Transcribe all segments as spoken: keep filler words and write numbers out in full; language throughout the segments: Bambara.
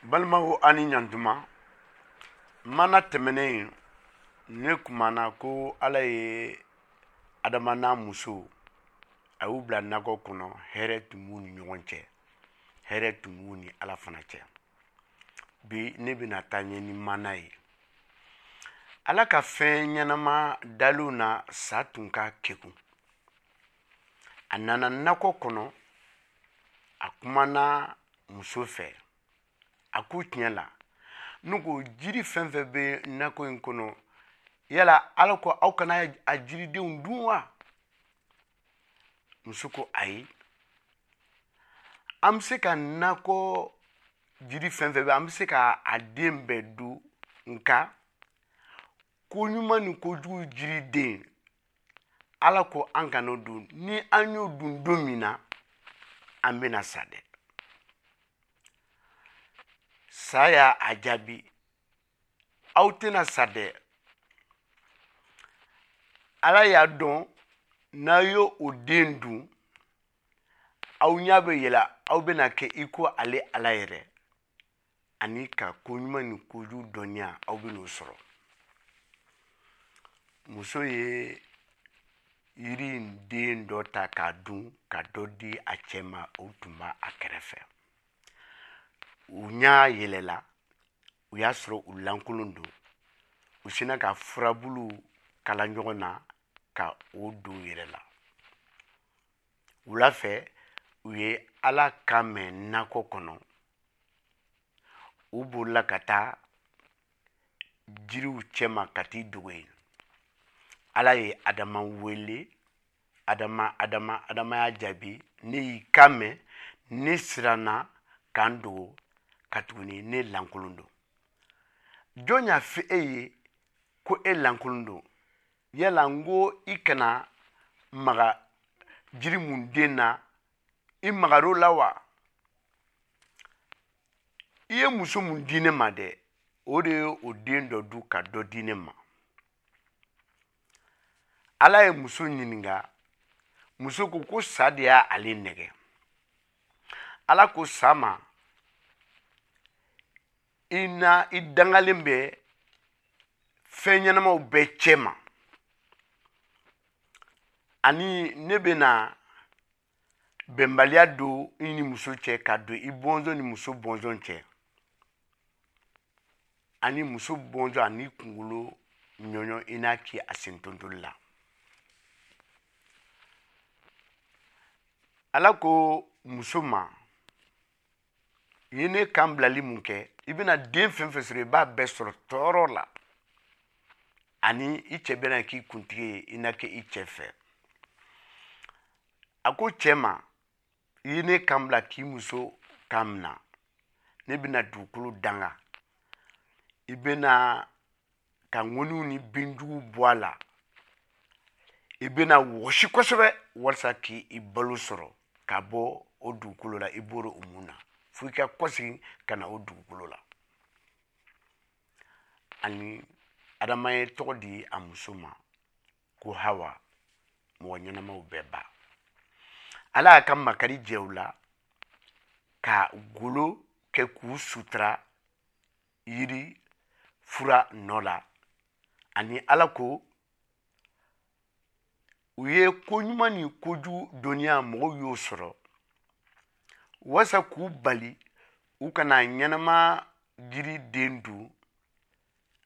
Balimaw, a ni ɲantuma. Mana tɛmɛnen, ne kumana ko Ala ye Adama n'a muso, a y'u bila nakɔ kɔnɔ. Hɛrɛ tun b'u ni ɲɔgɔn cɛ, hɛrɛ tun b'u ni Ala fana cɛ. Bi ne bɛna taa ɲɛ ni mana ye. Ala ka fɛn ɲɛnama dalenw na, sa tun ka kekun. A nana nakɔ kɔnɔ, a kumana muso fɛ. A ko: "Tiɲɛ la, ne ko jiri fɛn fɛn bɛ nakɔ in kɔnɔ, yala Ala ko aw kana a jiridenw dun wa?" Muso ko: "Ayi, an bɛ se ka nakɔ jiri fɛn fɛn bɛ, an bɛ se ka a den bɛɛ dun, nka ko ɲuman ni kojugu jiriden, Ala ko an kana o dun. Ni an y'o dun don min na, an bɛna sa dɛ." Sa y'a a jaabi: "Aw tɛna sa dɛ. Ala y'a dɔn n'a y'o o den dun, aw ɲɛ bɛ yɛlɛ, aw bɛna kɛ i ko ale Ala yɛrɛ, ani ka ko ɲuman ni kojugu dɔnniya, aw bɛn'o sɔrɔ." Muso ye yiri in den dɔ ta k'a dun, ka dɔ di a cɛ ma. O tun b'a a kɛrɛfɛ. U ɲɛ yɛlɛla, u y'a sɔrɔ u lankolon don. U sinna ka furabulu kala ɲɔgɔn na ka o don u yɛrɛ la. Wula fɛ, u ye Ala kan mɛn nakɔ kɔnɔ. U bolila ka taa jiriw cɛma ka t'i dogo yen. Ala ye Adama wele: "Adama, Adama!" Adama y'a jaabi: "Ne y'i kan mɛn, ne siranna ka n dogo, katuguni ne lankolon don." "Jɔn y'a fɔ e ye ko e lankolon don? Yala n ko i kana maga jiri mun den na, i magar'o la wa? I ye muso mun di ne ma dɛ, o de ye o den dɔ dun ka dɔ di ne ma." Ala ye muso ɲininka. Muso ko ko sa de y'a ale nɛgɛ. Ala ko sa ma: "I na i dangalen bɛ fɛn ɲɛnamaw bɛɛ cɛ ma, ani ne bɛna bɛnbaliya don i ni muso cɛ, ka don i bɔnsɔn ni muso bɔnsɔn cɛ, ani muso bɔnsɔn ani kunkolo ɲɔɲɔ, i n'a k'i a sen tontoli la." Ala ko muso ma: "I ye ne kan bilali mun kɛ, i bɛna den fɛn fɛn sɔrɔ, i b'a bɛɛ sɔrɔ tɔɔrɔ la, ani i cɛ bɛna k'i kuntigi ye, i na kɛ i cɛ fɛ." A ko cɛ ma: "I ye ne kan bila k'i muso kan mina, ne bɛna dugukolo danga, i bɛna ka ŋɔniw ni binjuguw bɔ a la, i bɛna wɔsi kosɛbɛ walasa k'i balo sɔrɔ ka bɔ o dugukolo la. I bɔra o mun na, fo i ka kɔsegin ka na o dugukolo la." Ani Adama ye tɔgɔ di a muso ma ko Hawa, mɔgɔ ɲɛnamaw bɛɛ ba. Ala y'a ka makari jɛ u la ka golo kɛ k'u sutura yiri fura nɔ la. Ani Ala ko u ye ko ɲuman ni kojugu dɔnniya, mɔgɔw y'o sɔrɔ walasa k'u bali u kana ɲɛnama jiri den dun,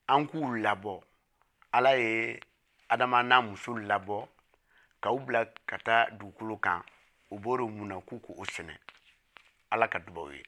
an k'u labɔ. Ala ye Adama n'a muso labɔ ka u bila ka taa dugukolo kan. U bɔra mun na, k'u k'o sɛnɛ. Ala ka dubaw ye.